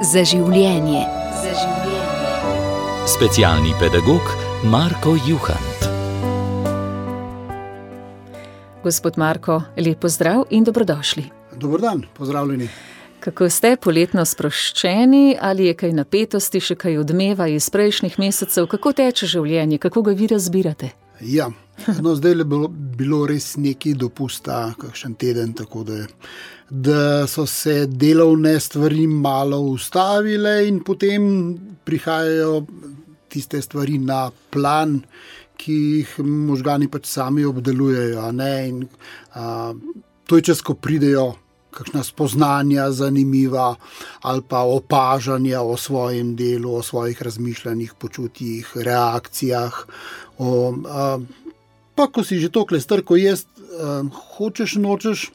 Za življenje. Specialni pedagog Marko Juhant. Gospod Marko, lep pozdrav in dobrodošli. Dober dan, pozdravljeni. Kako ste, poletno sproščeni, ali je kaj napetosti, še kaj odmeva iz prejšnjih mesecev? Kako teče življenje, kako ga vi razbirate? Ja, zdaj je bilo res nekaj dopusta, kakšen teden, tako da so se delovne stvari malo ustavile in potem prihajajo tiste stvari na plan, ki jih možgani pač sami obdelujejo. In, to je čas, ko pridejo kakšna spoznanja zanimiva ali pa opažanja o svojem delu, o svojih razmišljanjih, počutjih, reakcijah. Pa ko si že toliko star, ko jaz hočeš, nočeš,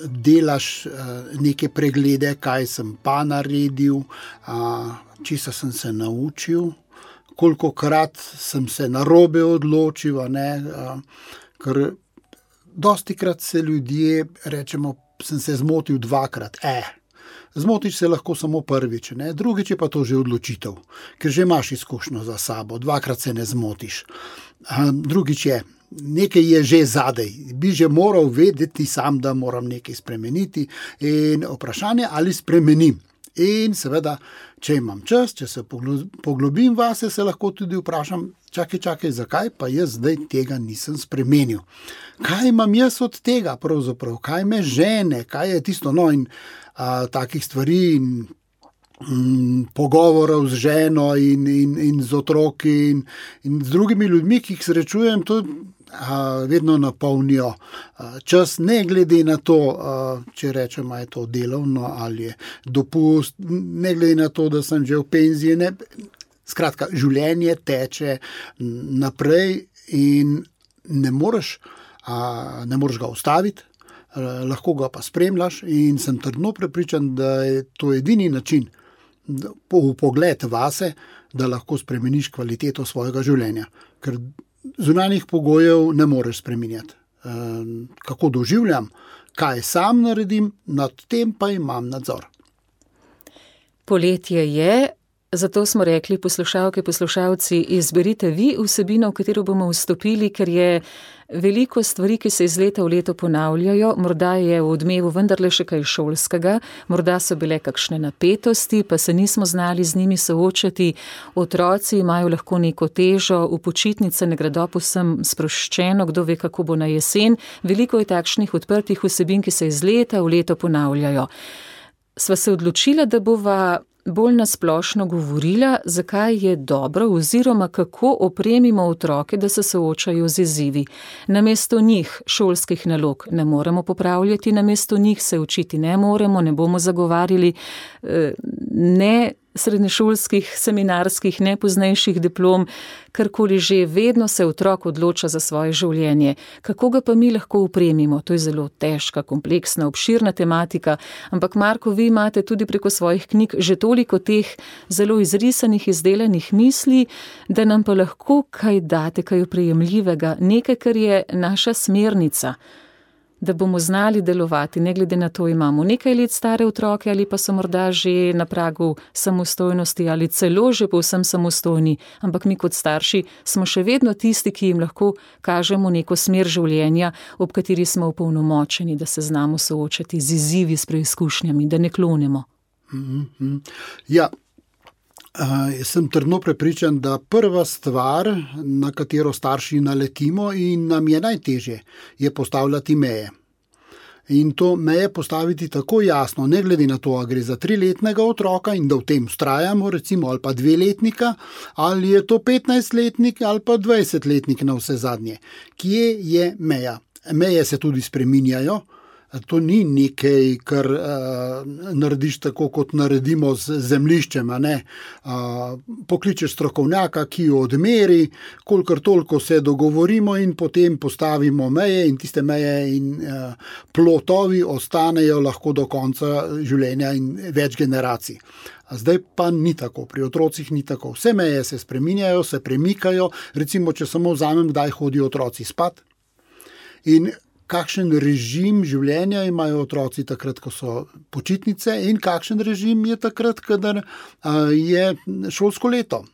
delaš neke preglede, kaj sem pa naredil, česa sem se naučil, kolikokrat sem se narobe odločil, ker dostikrat se ljudje, rečemo, sem se zmotil dvakrat. Zmotiš se lahko samo prvič, drugič je pa to že odločitev, ker že imaš izkušnjo za sabo, dvakrat se ne zmotiš. Drugič je, nekaj je že zadej, bi že moral vedeti sam, da moram nekaj spremeniti in vprašanje, ali spremenim. In seveda, če imam čas, če se poglobim vase, se lahko tudi vprašam, čakaj, zakaj pa jaz zdaj tega nisem spremenil. Kaj imam jaz od tega pravzaprav, kaj me žene, kaj je tisto, in takih stvari in pogovorov z ženo in z otroki in z drugimi ljudmi, ki jih srečujem, to vedno napolnijo čas, ne glede na to, če rečemo, je to delovno ali je dopust, ne glede na to, da sem že v penziji. Skratka, življenje teče naprej in ne moreš ga ustaviti, lahko ga pa spremljaš in sem trdno prepričan, da je to edini način, pogled vase, da lahko spremeniš kvaliteto svojega življenja. Ker zunanjih pogojev ne moreš spreminjati. Kako doživljam, kaj sam naredim, nad tem pa imam nadzor. Poletje je, zato smo rekli, poslušalke, poslušalci, izberite vi vsebino, v katero bomo vstopili, ker je veliko stvari, ki se iz leta v leto ponavljajo, morda je v odmevu vendarle še kaj šolskega, morda so bile kakšne napetosti, pa se nismo znali z njimi soočati. Otroci imajo lahko neko težo, v počitnice ne gredo povsem sproščeno, kdo ve, kako bo na jesen. Veliko je takšnih odprtih vsebin, ki se iz leta v leto ponavljajo. Sva se odločila, da bova bolj nasplošno govorila, zakaj je dobro oziroma kako opremimo otroke, da se soočajo z izzivi. Namesto njih šolskih nalog ne moremo popravljati, namesto njih se učiti ne moremo, ne bomo zagovarjali ne srednješolskih, seminarskih, ne poznejših diplom, karkoli že, vedno se otrok odloča za svoje življenje. Kako ga pa mi lahko opremimo? To je zelo težka, kompleksna, obširna tematika, ampak Marko, vi imate tudi preko svojih knjig že toliko teh zelo izrisanih, izdelanih misli, da nam pa lahko kaj date, kaj oprijemljivega, nekaj, kar je naša smernica, da bomo znali delovati, ne glede na to, imamo nekaj let stare otroke ali pa so morda že na pragu samostojnosti ali celo že povsem samostojni, ampak mi kot starši smo še vedno tisti, ki jim lahko kažemo neko smer življenja, ob kateri smo opolnomočeni, da se znamo soočati z izzivi, s preizkušnjami, da ne klonemo. Ja, sem trdno prepričan, da prva stvar, na katero starši naletimo in nam je najtežje, je postavljati meje. In to meje postaviti tako jasno, ne glede na to, a gre za 3-letnega otroka in da v tem vztrajamo, recimo, ali pa 2-letnika, ali je to 15-letnik ali pa 20-letnik na vse zadnje. Kje je meja? Meje se tudi spreminjajo. To ni nekaj, kar narediš tako, kot naredimo z zemljiščem. Pokličeš strokovnjaka, ki jo odmeri, kolikor toliko se dogovorimo in potem postavimo meje in tiste meje in plotovi ostanejo lahko do konca življenja in več generacij. Zdaj pa ni tako, pri otrocih ni tako. Vse meje se spreminjajo, se premikajo, recimo, če samo vzamem, kdaj hodijo otroci spat in kakšen režim življenja imajo otroci takrat, ko so počitnice, in kakšen režim je takrat, kadar je šolsko leto.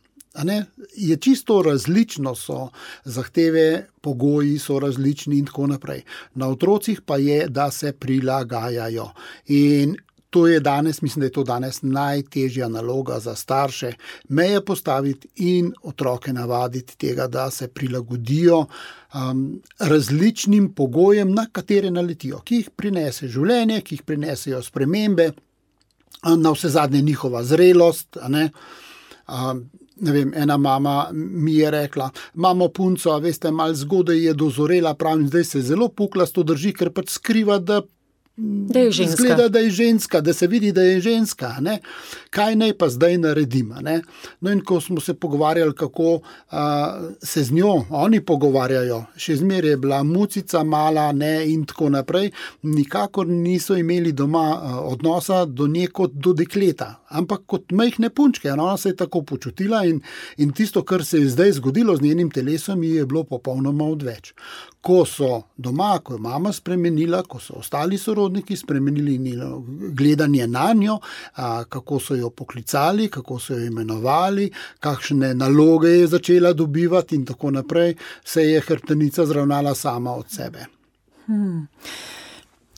Je čisto različno, so zahteve, pogoji so različni in tako naprej. Na otrocih pa je, da se prilagajajo. In to je danes, mislim, da je to danes najtežja naloga za starše, meje postaviti in otroke navaditi tega, da se prilagodijo različnim pogojem, na katere naletijo, ki jih prinese življenje, ki jih prinesejo spremembe, na vse zadnje njihova zrelost. Ne vem, ena mama mi je rekla, mamo punco, veste, malo zgodaj je dozorela, pravim, zdaj se zelo puklasto drži, ker pač skriva, da je ženska. Zgleda, da je ženska, da se vidi, da je ženska. Kaj naj pa zdaj naredim? No, in ko smo se pogovarjali, kako se z njo oni pogovarjajo, še zmeraj je bila mucica mala, in tako naprej, nikakor niso imeli doma odnosa do nje kot do dekleta, ampak kot majhne punčke. Ona se je tako počutila in tisto, kar se je zdaj zgodilo z njenim telesom, ji je bilo popolnoma odveč. Ko so doma, ko je mama spremenila, ko so ostali sorodniki spremenili gledanje na njo, kako so jo poklicali, kako so jo imenovali, kakšne naloge je začela dobivati in tako naprej, se je hrbtenica zravnala sama od sebe.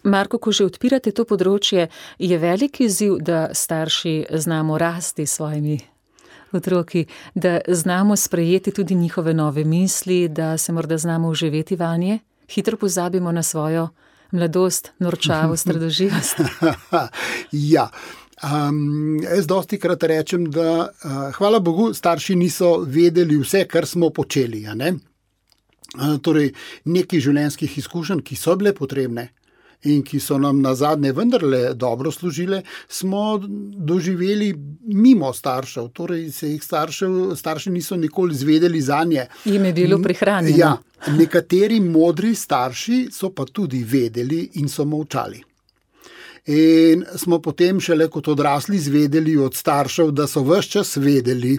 Marko, ko že odpirate to področje, je velik izziv, da starši znamo rasti s svojimi otroki, da znamo sprejeti tudi njihove nove misli, da se morda znamo vživeti vanje? Hitro pozabimo na svojo mladost, norčavost, radoživost. Ja. Jaz dostikrat rečem, da hvala Bogu, starši niso vedeli vse, kar smo počeli. Torej, nekaj življenjskih izkušenj, ki so bile potrebne in ki so nam nazadnje vendarle dobro služile, smo doživeli mimo staršev. Torej, se jih starši niso nikoli izvedeli zanje. Jim je bilo prihranjeno. Ja, nekateri modri starši so pa tudi vedeli in so molčali. In smo potem šele kot odrasli izvedeli od staršev, da so ves čas vedeli,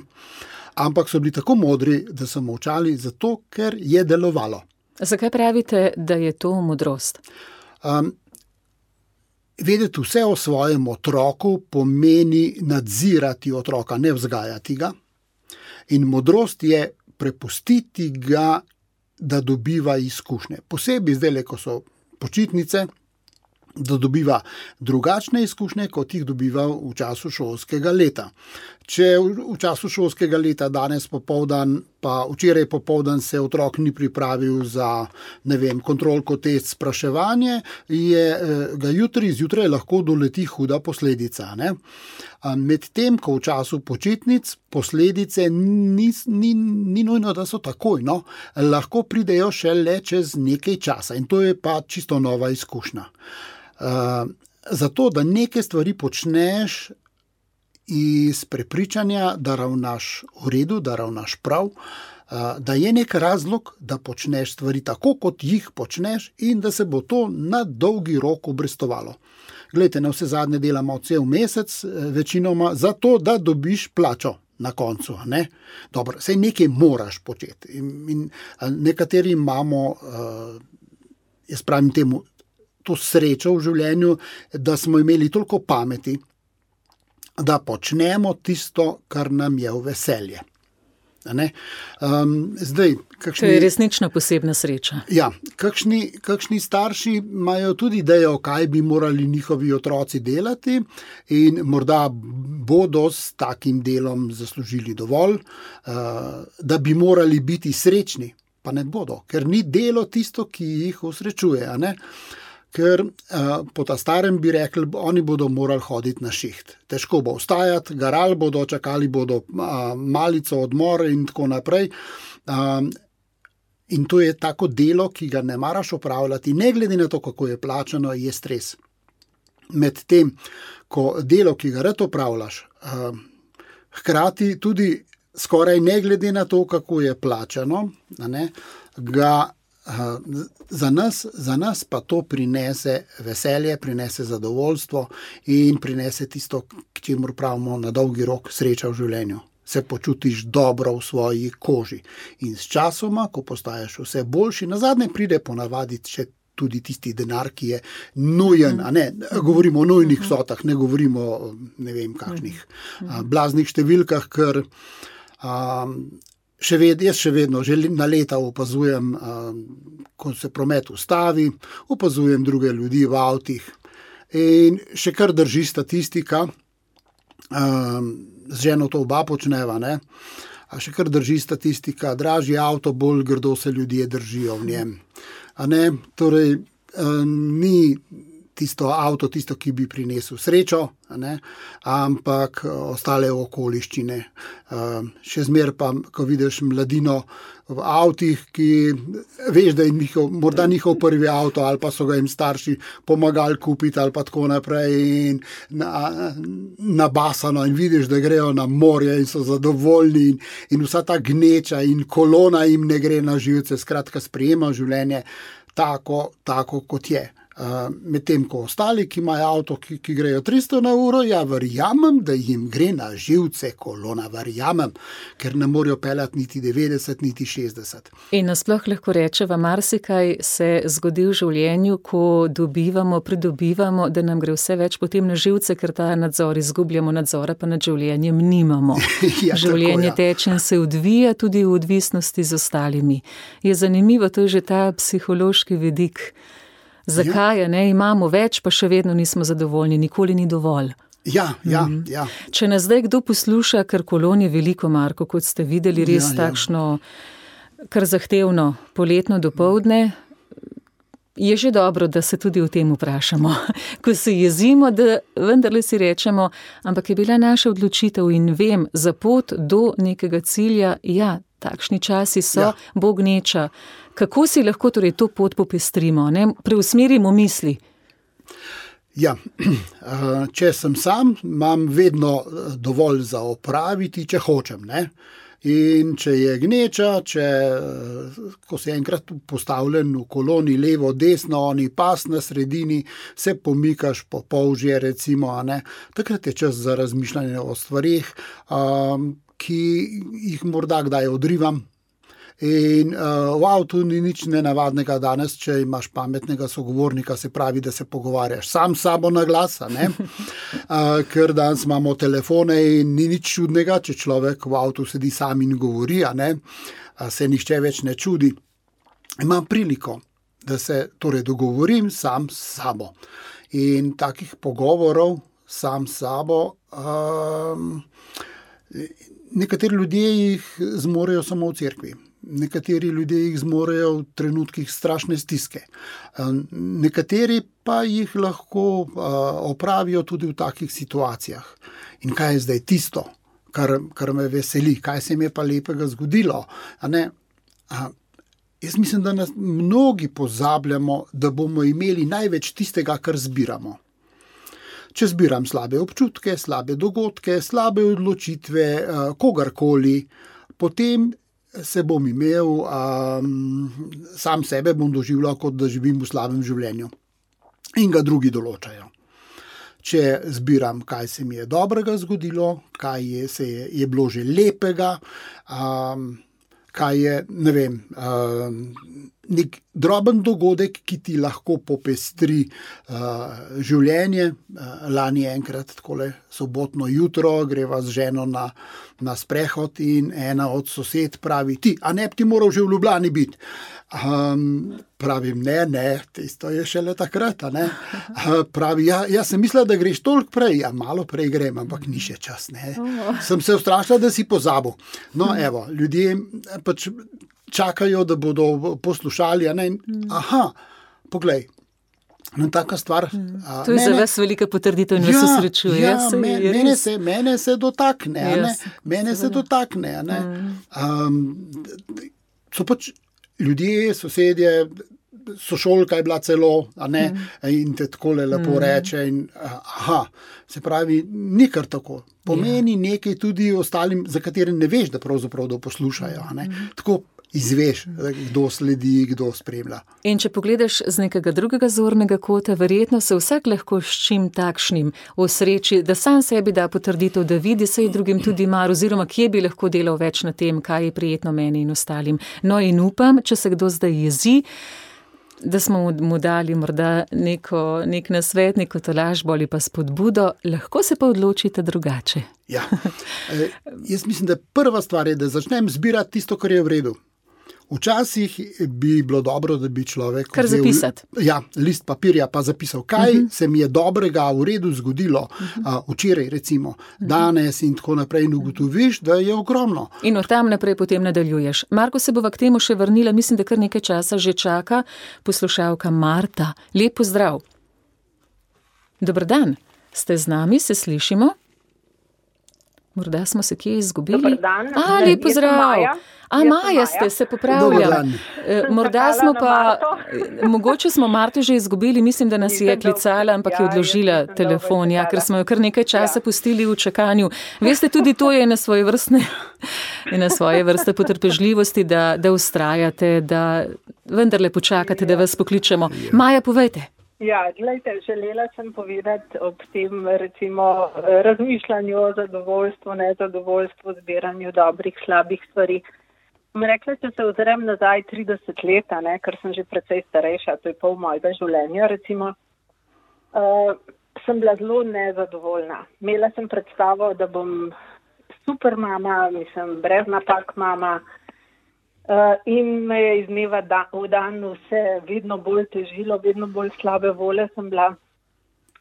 ampak so bili tako modri, da so molčali, zato ker je delovalo. Zakaj pravite, da je to modrost? Vedeti vse o svojem otroku pomeni nadzirati otroka, ne vzgajati ga. In modrost je prepustiti ga, da dobiva izkušnje. Posebej zdaj, ko so počitnice, da dobiva drugačne izkušnje, kot jih dobiva v času šolskega leta. Če v času šolskega leta danes popoldan, pa včeraj popoldan se otrok ni pripravil za, kontrolko test spraševanje, ga zjutraj lahko doleti huda posledica. Medtem, ko v času počitnic posledice ni nujno, da so takoj, lahko pridejo šele čez nekaj časa in to je pa čisto nova izkušnja. Zato, da neke stvari počneš iz prepričanja, da ravnaš v redu, da ravnaš prav, da je nek razlog, da počneš stvari tako, kot jih počneš in da se bo to na dolgi rok obrestovalo. Glejte, na vse zadnje delamo cel mesec, večinoma zato, da dobiš plačo na koncu. Dobro, saj nekaj moraš početi. In nekateri imamo, jaz pravim temu, to srečo v življenju, da smo imeli toliko pameti, da počnemo tisto, kar nam je v veselje. Zdaj, to je resnično posebna sreča. Ja, kakšni starši imajo tudi idejo, kaj bi morali njihovi otroci delati in morda bodo s takim delom zaslužili dovolj, da bi morali biti srečni, pa ne bodo, ker ni delo tisto, ki jih osrečuje, Ker po ta starem bi rekli, oni bodo morali hoditi na šiht. Težko bo vstajati, garali bodo, čakali bodo malico, odmor in tako naprej. In to je tako delo, ki ga ne maraš opravljati, ne glede na to, kako je plačano, je stres. Medtem, ko delo, ki ga rad opravljaš, hkrati tudi skoraj ne glede na to, kako je plačano, ga za nas pa to prinese veselje, prinese zadovoljstvo in prinese tisto, k čemur pravimo na dolgi rok sreča v življenju. Se počutiš dobro v svoji koži. In s časoma, ko postaješ vse boljši, nazadnje pride ponavadi še tudi tisti denar, ki je nujen, a ne, govorimo o nujnih vsotah, ne govorimo o ne vem kakšnih blaznih številkah, ker jaz še vedno že na leta opazujem, ko se promet ustavi, opazujem druge ljudi v avtih in še kar drži statistika, z ženo to oba počneva, ne, a še kar drži statistika, dražji avto, bolj grdo se ljudje držijo v njem. A ne, torej ni tisto avto, tisto, ki bi prinesel srečo, a ne, ampak ostale okoliščine. Še zmer pa, ko vidiš mladino v avtih, ki veš, da je morda njihov prvi avto ali pa so ga jim starši pomagali kupiti ali pa tako naprej in nabasano in vidiš, da grejo na morje in so zadovoljni in vsa ta gneča in kolona jim ne gre na živce, skratka sprejema življenje tako kot je. Medtem ko ostali, ki imajo avto, ki grejo 300 na uro, ja, verjamem, da jim gre na živce kolona, verjamem, ker ne morejo peljati niti 90, niti 60. In nasploh lahko rečeva, marsikaj se zgodi v življenju, ko pridobivamo, da nam gre vse več potem na živce, ker ta nadzor izgubljamo, nadzora pa nad življenjem nimamo. Ja, življenje teče in se odvija tudi v odvisnosti z ostalimi. Je zanimivo, to je že ta psihološki vidik. Zakaj, ne, imamo več, pa še vedno nismo zadovoljni, nikoli ni dovolj. Ja. Če nas zdaj kdo posluša, ker kolon je veliko, Marko, kot ste videli, res takšno, kar zahtevno poletno dopoldne, je že dobro, da se tudi o tem vprašamo. Ko se jezimo, da vendarle si rečemo, ampak je bila naša odločitev in vem, za pot do nekega cilja, ja, takšni časi so, bo gneča. Kako si lahko torej to pot popestrimo, ne? Preusmerimo misli? Ja, če sem sam, imam vedno dovolj za opraviti, če hočem, ne. In če je gneča, ko si enkrat postavljen v koloni levo, desno, oni pas na sredini, se pomikaš po polžje recimo, a ne, takrat je čas za razmišljanje o stvarih, ki jih morda kdaj odrivam. In v avtu ni nič nenavadnega danes, če imaš pametnega sogovornika, se pravi, da se pogovarjaš sam s sabo na glas, ne? Ker danes imamo telefone in ni nič čudnega, če človek v avtu sedi sam in govori, a ne? Se nihče več ne čudi. Imam priliko, da se torej dogovorim sam s sabo. In takih pogovorov sam s sabo, nekateri ljudje jih zmorejo samo v cerkvi. Nekateri ljudje jih zmorejo v trenutkih strašne stiske. Nekateri pa jih lahko opravijo tudi v takih situacijah. In kaj je zdaj tisto, kar me veseli, kaj se mi je pa lepega zgodilo? A ne? Jaz mislim, da nas mnogi pozabljamo, da bomo imeli največ tistega, kar zbiramo. Če zbiram slabe občutke, slabe dogodke, slabe odločitve, kogarkoli, potem se bom imel, sam sebe bom doživljal, kot da živim v slabem življenju. In ga drugi določajo. Če zbiram, kaj se mi je dobrega zgodilo, kaj je bilo že lepega, kaj je, ne vem, nek droben dogodek, ki ti lahko popestri življenje. Lani enkrat takole sobotno jutro greva z ženo na sprehod in ena od sosed pravi, a ne bi ti moral že v Ljubljani biti? Pravim, ne, tisto je šele takrat, a ne. Pravi, ja sem mislila, da greš toliko prej, malo prej grem, ampak ni še čas, ne. Sem se ustrašila, da si pozabil. No, evo, ljudje pač čakajo, da bodo poslušali, a ne. Aha, poglej, taka stvar. To je za vas velika potrditev in vas osrečuje. Ja, mene se dotakne, a ne. Mene se dotakne, a ne. So pač ljudje, sosedje, sošolka je bila celo, a ne, in te takole lepo reče in se pravi, ni kar tako. Pomeni nekaj tudi ostalim, za katere ne veš, da pravzaprav poslušajo, a ne. Tako izveš, kdo sledi, kdo spremlja. In če pogledaš z nekega drugega zornega kota, verjetno se vsak lahko s čim takšnim osreči, da sam sebi da potrditev, da vidi se drugim tudi mar, oziroma kje bi lahko delal več na tem, kaj je prijetno meni in ostalim. No in upam, če se kdo zdaj jezi, da smo mu dali morda nek nasvet, neko tolažbo ali pa spodbudo, lahko se pa odločite drugače. Ja. Jaz mislim, da prva stvar je, da začnem zbirati tisto, kar je v redu. Včasih bi bilo dobro, da bi človek kar zapisati. List papirja pa zapisal, kaj se mi je dobrega v redu zgodilo včeraj, recimo, danes in tako naprej, in ugotoviš, da je ogromno. In od tam naprej potem nadaljuješ. Marko, se bova k temu še vrnila, mislim, da kar nekaj časa že čaka poslušalka Marta. Lep pozdrav. Dober dan, ste z nami, se slišimo? Morda smo se kje izgubili. Dobar dan. Lep pozdrav. Maja ste, se popravljam. Morda smo pa, mogoče smo Marto že izgubili, mislim, da nas je klicala, ampak je odložila telefon, ker smo jo kar nekaj časa pustili v čakanju. Veste, tudi to je na svoje vrste potrpežljivosti, da vztrajate, da vendarle počakate, da vas pokličemo. Maja, povejte. Ja, gledajte, želela sem povedati ob tem, recimo, razmišljanju o zadovoljstvu, nezadovoljstvu, zbiranju dobrih, slabih stvari. Sem rekla, če se ozrem nazaj 30 let, ker sem že precej starejša, to je pol mojega življenja, recimo, sem bila zelo nezadovoljna. Imela sem predstavo, da bom super mama, brez napak mama, in me je iz dneva v dan vse vedno bolj težilo, vedno bolj slabe volje sem bila,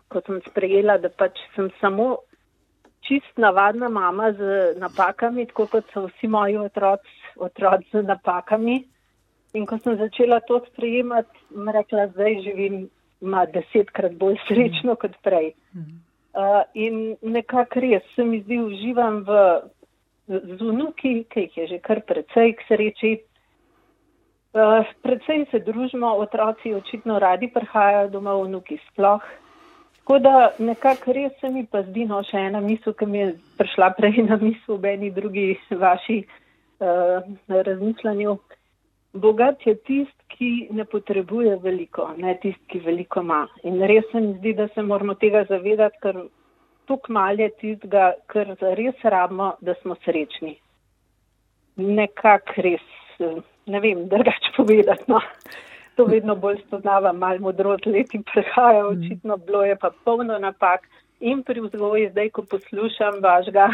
ko sem sprejela, da pač sem samo čist navadna mama z napakami, tako kot so vsi moji otroci z napakami. In ko sem začela to sprejemati, sem rekla, zdaj živim 10-krat bolj srečno kot prej. In nekako res se mi zdi, uživam z vnuki, ki jih je že kar precej k sreči. Precej se družimo, otroci očitno radi prihajajo domov, vnuki sploh. Tako da nekako res se mi pa zdi, še ena misel, ki mi je prišla prej na misel v eni drugi vaši razmišljanju. Bogat je tist, ki ne potrebuje veliko, ne tist, ki veliko ima. In res se mi zdi, da se moramo tega zavedati, ker toliko malo je tistega, kar res rabimo, da smo srečni. Nekako res, ne vem, drugače povedati, no. To vedno bolj spoznavam, malo modrost leti prehaja, očitno bilo je pa polno napak. In pri vzgoji, zdaj, ko poslušam vašega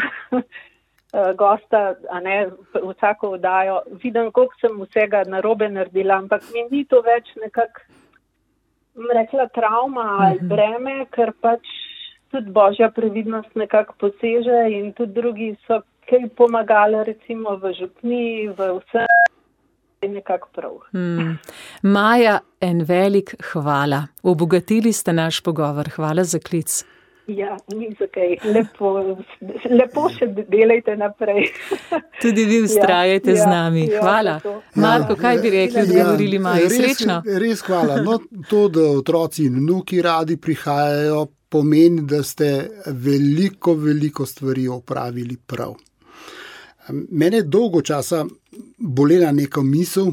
gosta, vsako oddajo, vidim, koliko sem vsega narobe naredila, ampak mi ni to več nekako, rekla, travma ali breme, ker pač tudi božja previdnost nekako poseže in tudi drugi so kaj pomagali, recimo v župniji, v vse. Nekako prav. Maja, en velik hvala. Obogatili ste naš pogovor. Hvala za klic. Ja, ni za kaj. Lepo še delajte naprej. Tudi vi vztrajajte z nami. Hvala. Marko, kaj bi rekli, odgovorili Maji? Srečno? Res hvala. No, to, da otroci in vnuki radi prihajajo, pomeni, da ste veliko stvari opravili prav. Mene je dolgo časa bolela neka misel,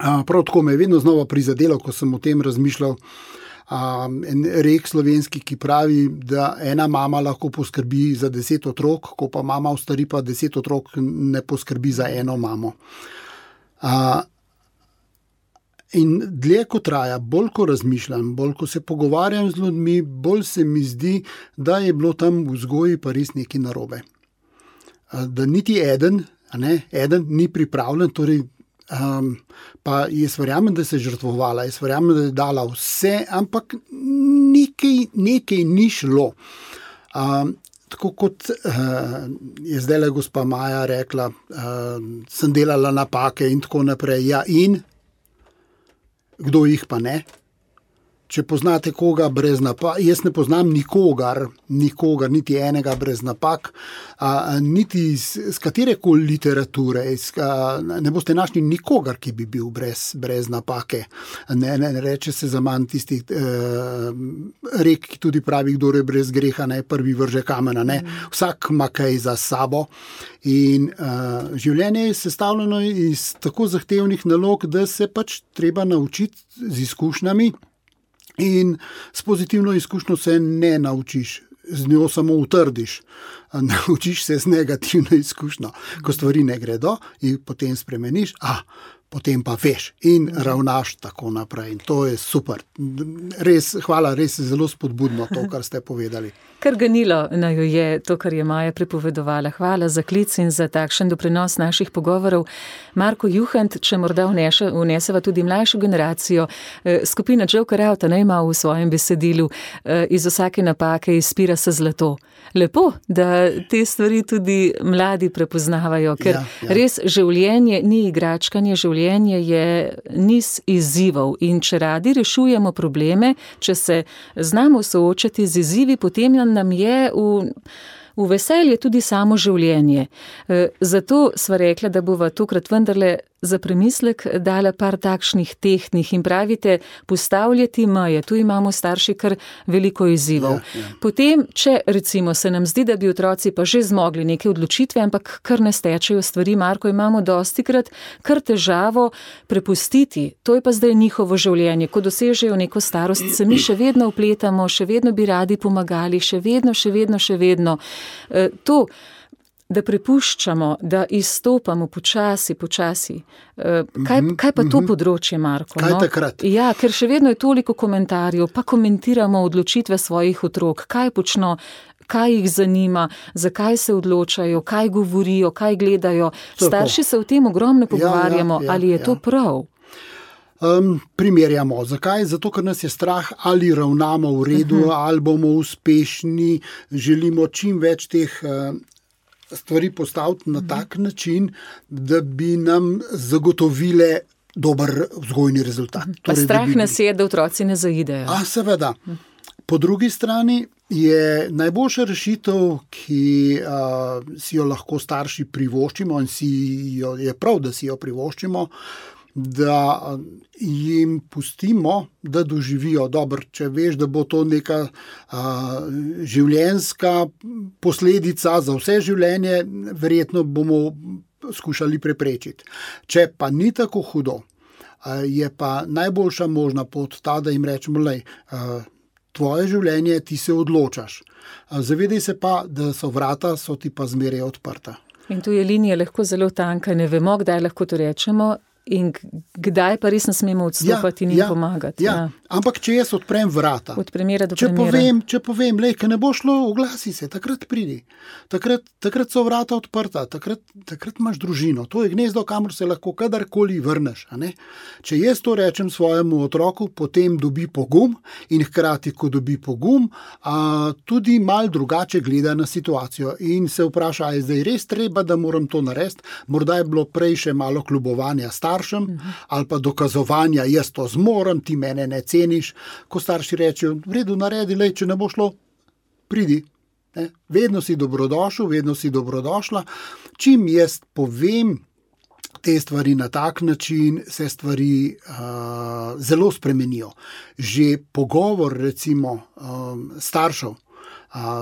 prav tako me je vedno znova prizadelo, ko sem o tem razmišljal, en rek slovenski, ki pravi, da ena mama lahko poskrbi za 10 otrok, ko pa mama ostari, pa 10 otrok ne poskrbi za eno mamo. In dlje ko traja, bolj ko razmišljam, bolj ko se pogovarjam z ljudmi, bolj se mi zdi, da je bilo tam v vzgoji pa res nekaj narobe. Da niti eden ni pripravljen, torej, pa jaz verjamem, da se je žrtvovala, jaz verjamem, da je dala vse, ampak nekaj ni šlo. Tako kot je zdajle gospa Maja rekla, sem delala napake in tako naprej. Ja, in kdo jih pa ne? Če poznate koga brez napak, jaz ne poznam nikogar, niti enega brez napak, niti z katerekoli literature, ne boste našli nikogar, ki bi bil brez napake. Ne reče se za manj tistih rek, ki tudi pravi, kdo je brez greha, ne prvi vrže kamena, ne. Vsak ima kaj za sabo. In življenje je sestavljeno iz tako zahtevnih nalog, da se pač treba naučiti z izkušnjami. In s pozitivno izkušnjo se ne naučiš, z njo samo utrdiš. Naučiš se z negativno izkušnjo. Ko stvari ne gredo in potem spremeniš, potem pa veš in ravnaš tako naprej. In to je super. Res, hvala, res zelo spodbudno to, kar ste povedali. Kar ganilo naju je to, kar je Maja pripovedovala. Hvala za klic in za takšen doprinos naših pogovorov. Marko Juhant, če morda vneseva tudi mlajšo generacijo, skupina Joker Out ima v svojem besedilu iz vsake napake izpira se zlato. Lepo, da te stvari tudi mladi prepoznavajo, ker res življenje ni igračkanje, življenje je niz izzivov in če radi rešujemo probleme, če se znamo soočati z izzivi, potem nam je v veselje tudi samo življenje. Zato sva rekla, da bova tokrat vendarle za premislek dala par takšnih tehtnih in pravite, postavljati meje. Tu imamo starši kar veliko izzivov. Potem, če recimo se nam zdi, da bi otroci pa že zmogli neke odločitve, ampak kar ne stečejo stvari, Marko, imamo dostikrat kar težavo prepustiti. To je pa zdaj njihovo življenje. Ko dosežejo neko starost, se mi še vedno vpletamo, še vedno bi radi pomagali, še vedno. To, da prepuščamo, da izstopamo počasi. Kaj pa to področje, Marko? Kaj takrat? Ja, ker še vedno je toliko komentarjev, pa komentiramo odločitve svojih otrok, kaj počno, kaj jih zanima, zakaj se odločajo, kaj govorijo, kaj gledajo. Starši se o tem ogromno pogovarjamo, ali je to prav? Primerjamo. Zakaj? Zato, ker nas je strah, ali ravnamo v redu, ali bomo uspešni, želimo čim več teh stvari postaviti na tak način, da bi nam zagotovile dober vzgojni rezultat. Pa strah nas je, da otroci ne zaidejo. Seveda. Po drugi strani je najboljša rešitev, ki si jo lahko starši privoščimo in je prav, da si jo privoščimo, da jim pustimo, da doživijo dobro. Če veš, da bo to neka življenjska posledica za vse življenje, verjetno bomo skušali preprečiti. Če pa ni tako hudo, je pa najboljša možna pot ta, da jim rečemo, tvoje življenje, ti se odločaš. Zavedaj se pa, da so ti pa zmeraj odprta. In tu je linija lahko zelo tanka, ne vemo, kdaj lahko to rečemo, in kdaj pa res ne smemo odstopati in jim pomagati. Ampak če jaz odprem vrata, od primera do primera. Če povem, ker ne bo šlo, oglasi se, takrat pridi. Takrat so vrata odprta, takrat imaš družino. To je gnezdo, kamor se lahko kadarkoli vrneš. Če jaz to rečem svojemu otroku, potem dobi pogum in hkrati, ko dobi pogum, tudi malo drugače gleda na situacijo in se vpraša, je zdaj res treba, da moram to narediti. Morda je bilo prej še malo kljubovanja staršem ali pa dokazovanja, jaz to zmorem, ti mene ne ceniš. Ko starši rečejo, v redu, naredi, če ne bo šlo, pridi. Vedno si dobrodošel, vedno si dobrodošla. Čim jaz povem te stvari na tak način, se stvari zelo spremenijo. Že pogovor, recimo, staršev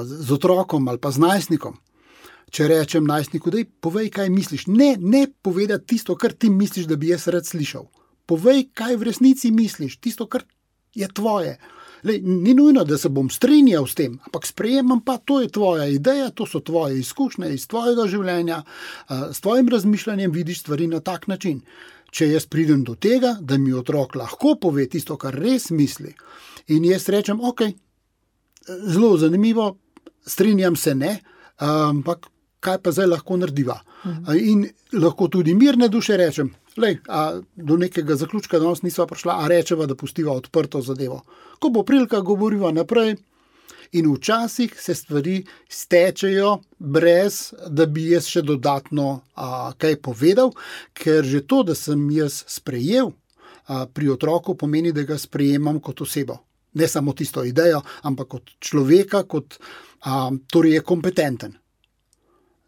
z otrokom ali pa z najstnikom, če rečem najstniku, daj, povej, kaj misliš. Ne povedati tisto, kar ti misliš, da bi jaz rad slišal. Povej, kaj v resnici misliš, tisto, kar je tvoje. Ni nujno, da se bom strinjal s tem, ampak sprejemam pa, to je tvoja ideja, to so tvoje izkušnje iz tvojega življenja, s tvojim razmišljanjem vidiš stvari na tak način. Če jaz pridem do tega, da mi otrok lahko pove tisto, kar res misli, in jaz rečem, ok, zelo zanimivo, strinjam se, ne, ampak kaj pa zdaj lahko narediva. In lahko tudi mirne duše rečem, do nekega zaključka danes nisva prišla, a rečeva, da pustiva odprto zadevo. Ko bo prilika, govoriva naprej in včasih se stvari stečejo brez, da bi jaz še dodatno kaj povedal, ker že to, da sem jaz sprejel pri otroku, pomeni, da ga sprejemam kot osebo. Ne samo tisto idejo, ampak kot človeka, torej je kompetenten.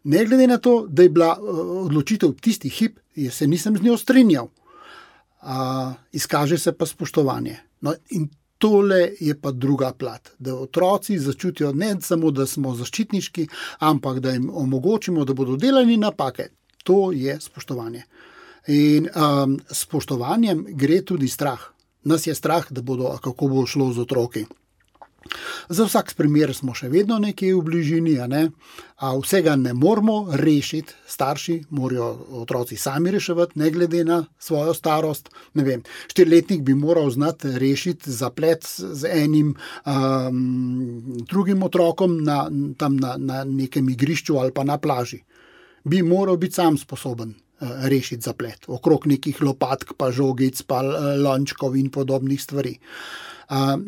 Ne glede na to, da je bila odločitev tisti hip, jaz se nisem z njo strinjal. Izkaže se pa spoštovanje. No, in tole je pa druga plat, da otroci začutijo ne samo, da smo zaščitniški, ampak da jim omogočimo, da bodo delali napake. To je spoštovanje. In spoštovanjem gre tudi strah. Nas je strah, kako bo šlo z otroki. Za vsak primer smo še vedno nekje v bližini, a vsega ne moramo rešiti, starši morajo otroci sami reševati, ne glede na svojo starost. Ne vem, 4-letnik bi moral znati rešiti zaplet z enim drugim otrokom tam na nekem igrišču ali pa na plaži. Bi moral biti sam sposoben rešiti zaplet, okrog nekih lopatk, pa žogic, pa lončkov in podobnih stvari.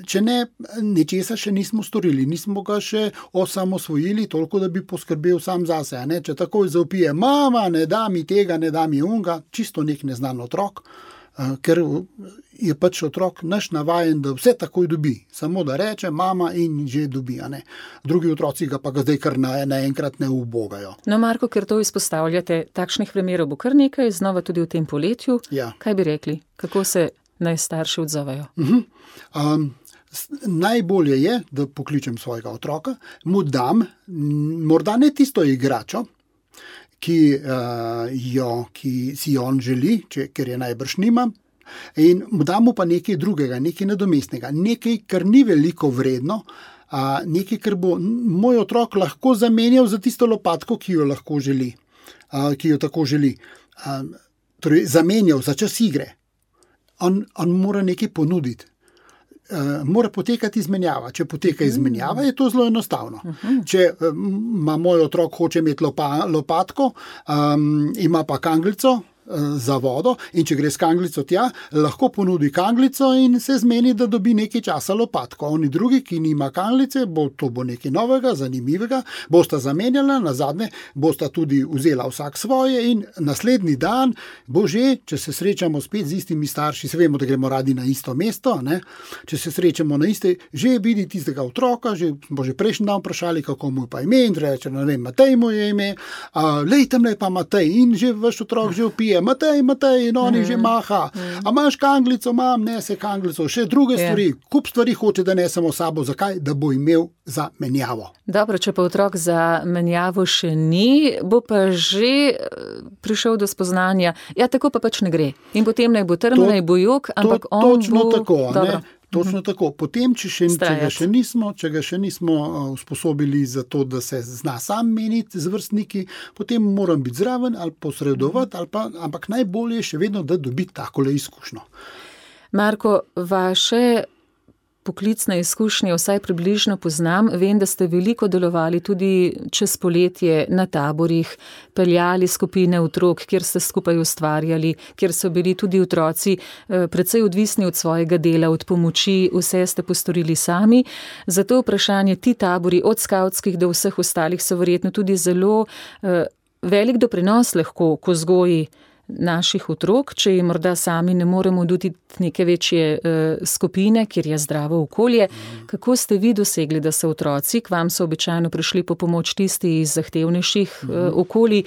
Če ne, nečesa še nismo storili, nismo ga še osamosvojili, toliko, da bi poskrbel sam zase. Če takoj zavpije, mama, ne da mi tega, ne da mi unga, čisto nek neznan otrok, ker je pač otrok naš navajen, da vse takoj dobi, samo da reče mama in že dobi. Drugi otroci ga pa zdaj kar naenkrat ne ubogajo. No, Marko, ker to izpostavljate, takšnih primerov bo kar nekaj, znova tudi v tem poletju. Ja. Kaj bi rekli? Kako se naj starši odzovejo? Najbolje je, da pokličem svojega otroka, mu dam morda ne tisto igračo, ki si on želi, ker je najbrž nima, in mu dam pa nekaj drugega, nekaj nadomestnega, nekaj, kar ni veliko vredno, nekaj, kar bo moj otrok lahko zamenjal za tisto lopatko, ki jo lahko želi, ki jo tako želi. Torej, zamenjal za čas igre. On mora nekaj ponuditi. Mora potekati izmenjava. Če poteka izmenjava, je to zelo enostavno. Če ima moj otrok hoče imeti lopatko, ima pa kanglico za vodo in če gre s kanglico tja, lahko ponudi kanglico in se zmeni, da dobi nekaj časa lopatko. Oni drugi, ki nima kanglice, to bo nekaj novega, zanimivega, bosta zamenjala, nazadnje bosta tudi vzela vsak svoje in naslednji dan bo že, če se srečamo spet z istimi starši, se vemo, da gremo radi na isto mesto, če se srečamo na iste, že vidi tistega otroka, bo že prejšnji dan vprašali, kako mu je pa ime, in reče, ne vem, Matej mu je ime, lej, tamle pa Matej, in že vaš otrok že vpije, Matej, in oni že maha. A imaš kanglico? Imam, nese kanglico. Še druge stvari, kup stvari hoče, da nesemo sabo. Zakaj? Da bo imel za menjavo. Dobro, če pa otrok za menjavo še ni, bo pa že prišel do spoznanja, ja, tako pa pač ne gre. In potem naj bo trm, naj bo jok, ampak on točno bo... Tako, Dobro. Točno tako. Potem, če ga še nismo usposobili za to, da se zna sam meniti z vrstniki, potem moram biti zraven ali posredovati, ampak najbolje je še vedno, da dobi takole izkušnjo. Marko, vaše poklicne izkušnje vsaj približno poznam. Vem, da ste veliko delovali tudi čez poletje na taborih, peljali skupine otrok, kjer ste skupaj ustvarjali, kjer so bili tudi otroci precej odvisni od svojega dela, od pomoči, vse ste postorili sami. Zato vprašanje, ti tabori od skavtskih do vseh ostalih so verjetno tudi zelo velik doprinos lahko k vzgoji naših otrok, če jim morda sami ne moremo doditi neke večje skupine, kjer je zdravo okolje. Kako ste vi dosegli, da so otroci, k vam so običajno prišli po pomoč tisti iz zahtevnejših okolij,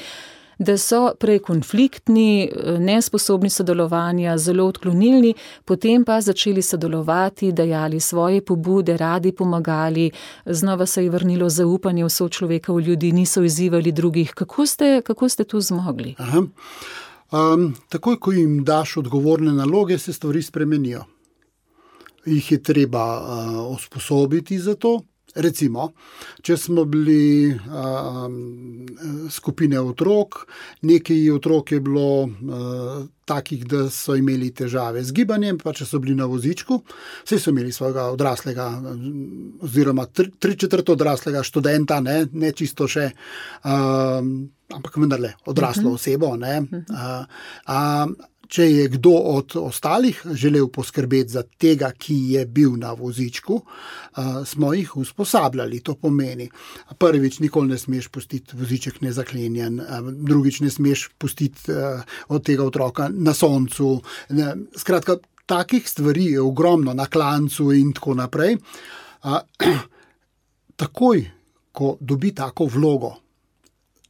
da so prej konfliktni, nesposobni sodelovanja, zelo odklonilni, potem pa začeli sodelovati, dajali svoje pobude, radi pomagali, znova se je vrnilo zaupanje v sočloveka, v ljudi, niso izzivali drugih. Kako ste to zmogli? Takoj, ko jim daš odgovorne naloge, se stvari spremenijo. Jih je treba usposobiti za to. Recimo, če smo bili skupine otrok, nekaj otrok je bilo takih, da so imeli težave z gibanjem, pa če so bili na vozičku, vse so imeli svojega odraslega, oziroma 3/4 odraslega študenta, ne čisto še, ampak vendarle odraslo osebo. Če je kdo od ostalih želel poskrbeti za tega, ki je bil na vozičku, smo jih usposabljali. To pomeni, prvič, nikoli ne smeš pustiti voziček nezaklenjen, drugič ne smeš pustiti od tega otroka na soncu. Skratka, takih stvari je ogromno, na klancu in tako naprej. Takoj, ko dobi tako vlogo,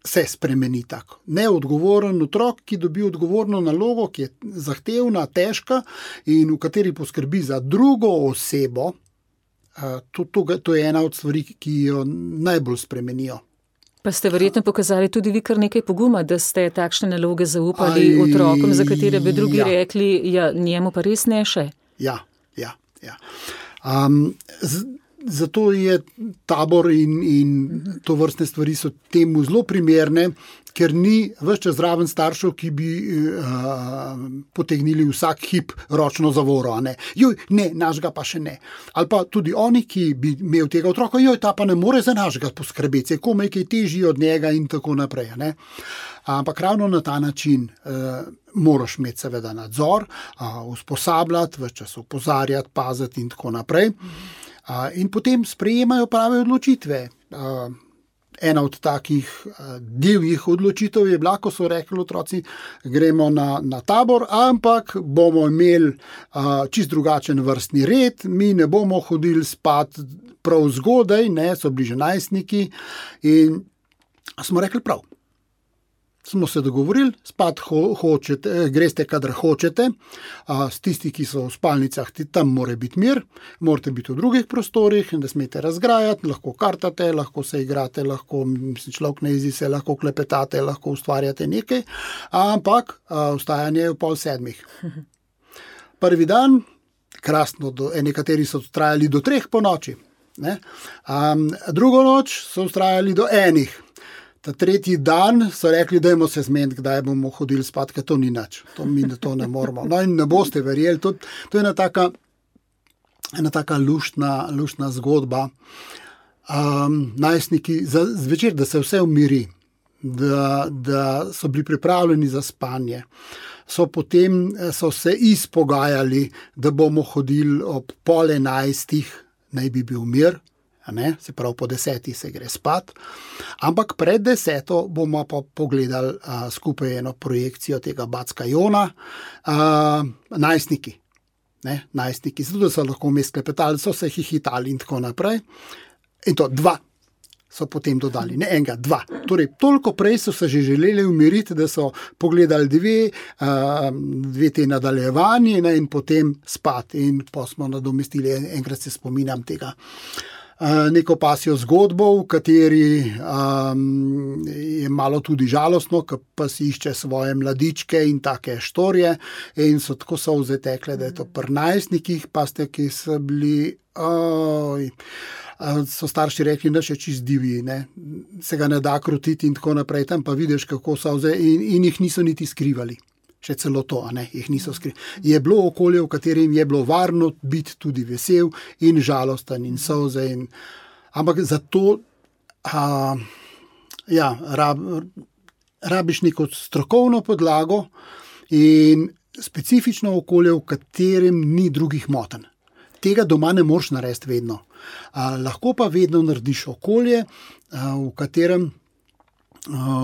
se spremeni tako. Neodgovoren otrok, ki dobi odgovorno nalogo, ki je zahtevna, težka in v kateri poskrbi za drugo osebo, to je ena od stvari, ki jo najbolj spremenijo. Pa ste verjetno pokazali tudi vi kar nekaj poguma, da ste takšne naloge zaupali otrokom, za katere bi drugi rekli, ja, njemu pa res ne še. Ja. zato je tabor in to vrstne stvari so temu zelo primerne, ker ni ves čas zraven staršev, ki bi potegnili vsak hip ročno zavoro. Ne, našega pa še ne. Ali pa tudi oni, ki bi imel tega otroka, ta pa ne more za našega poskrbeti, se komaj kaj težji od njega in tako naprej. Ne. Ampak ravno na ta način moraš imeti seveda nadzor, usposabljati, ves čas opozarjati, paziti in tako naprej. In potem sprejemajo prave odločitve. Ena od takih divjih odločitev je bila, ko so rekli otroci, gremo na tabor, ampak bomo imeli čist drugačen vrstni red, mi ne bomo hodili spat prav zgodaj, so bili že najstniki in smo rekli prav. Smo se dogovorili, spat greste, kadar hočete, s tisti, ki so v spalnicah, tam mora biti mir, morate biti v drugih prostorih, ne smete razgrajati, lahko kartate, lahko se igrate, lahko človek ne jezi se, lahko klepetate, lahko ustvarjate nekaj, ampak vstajanje je v 6:30. Prvi dan, krasno, nekateri so trajali do 3 po noči, drugo noč so trajali do 1. Ta tretji dan so rekli, dajmo se zmeniti, kdaj bomo hodili spat, ker to ni nič. To ne moramo. No in ne boste verjeli, to je ena taka luštna zgodba. Najstniki zvečer, da se vse umiri, da so bili pripravljeni za spanje, potem so se izpogajali, da bomo hodili ob 10:30, naj bi bil mir. Se pravi, po 10 se gre spat, ampak pred 10 bomo pa pogledali skupaj eno projekcijo tega Backa Jona, najstniki, zato da so lahko vmes klepetali, so se hihitali in tako naprej. In to 2 so potem dodali, ne enega, 2. Torej, toliko prej so se že želeli umiriti, da so pogledali 2 te nadaljevanje in potem spat. In pa smo nadomestili, enkrat se spominjam tega, neko pasjo zgodbo, v kateri je malo tudi žalostno, ko pa si išče svoje mladičke in take štorje in so tako solze tekle, da je to pri najstnikih, pa ste, ki so bili, so starši rekli, da še čist divji, se ga ne da krotiti in tako naprej, tam pa vidiš, kako solze in jih niso niti skrivali. Še celo to, jih niso skrivali. Je bilo okolje, v katerem je bilo varno biti tudi vesel in žalosten in solze. Ampak zato rabiš neko strokovno podlago in specifično okolje, v katerem ni drugih motenj. Tega doma ne moreš narediti vedno. Lahko pa vedno narediš okolje, v katerem